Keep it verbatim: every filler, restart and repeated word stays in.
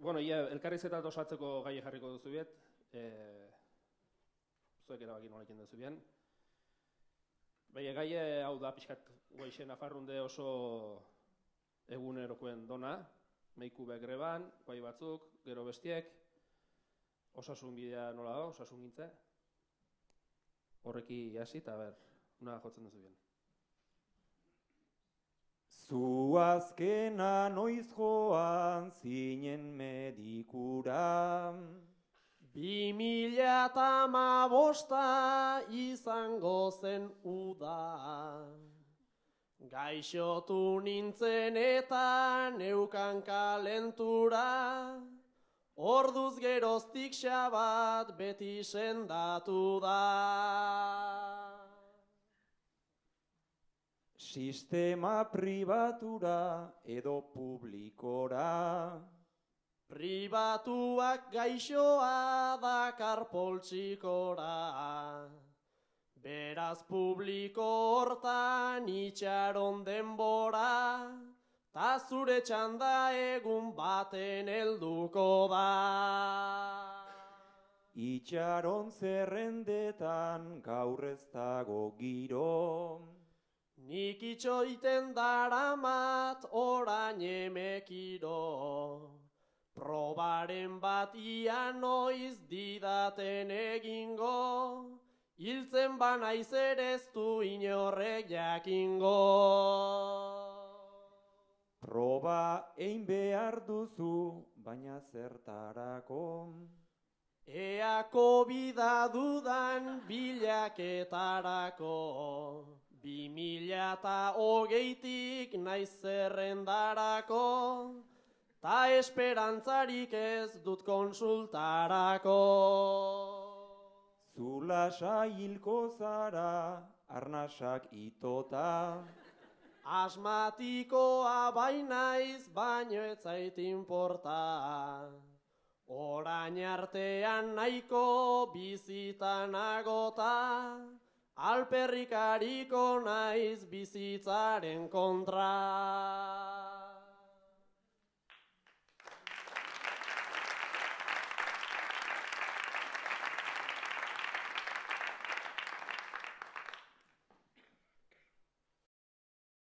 Bueno, ia, elkarrizketat osatzeko gai jarriko duzu biet. E, zuek erabaki nolekin duzu bien. Baina gai hau da pixkat guaixen afarrunde oso egunerokoen dona. Meiku be greban, bai batzuk, gero bestiek. Osasun bidea nola da, osasun gintze. Horreki hasi eta ber, una jotzen duzu bien. Zu azkena noiz joan zinen medikura. Bi mila eta hamabosta izango zen uda. Gaixotu nintzen eta neukan kalentura. Orduz geroztik xabat beti sendatu da. Sistema pribatura edo publikora. Pribatuak gaixoa dakar poltsikora. Beraz publiko hortan itxaron denbora, ta zure txanda egun baten helduko da. Itxaron zerrendetan gaur ez dago giro. Nik itxoiten daramat orain emekiro. Probaren bat ia noiz didaten egingo, hiltzen banaiz ere ez du inorrek jakingo. Proba egin behar duzu, baina zertarako. Ea kobida dudan bilaketarako. Bi mila eta hogeitik naiz zerrendarako, ta esperantzarik ez dut konsultarako. Zulasa hilko zara, arnasak itota. Asmatikoa bainaiz, baino ez zait inporta. Orain artean nahiko bizitan agota, alperrikariko naiz bizitzaren kontra.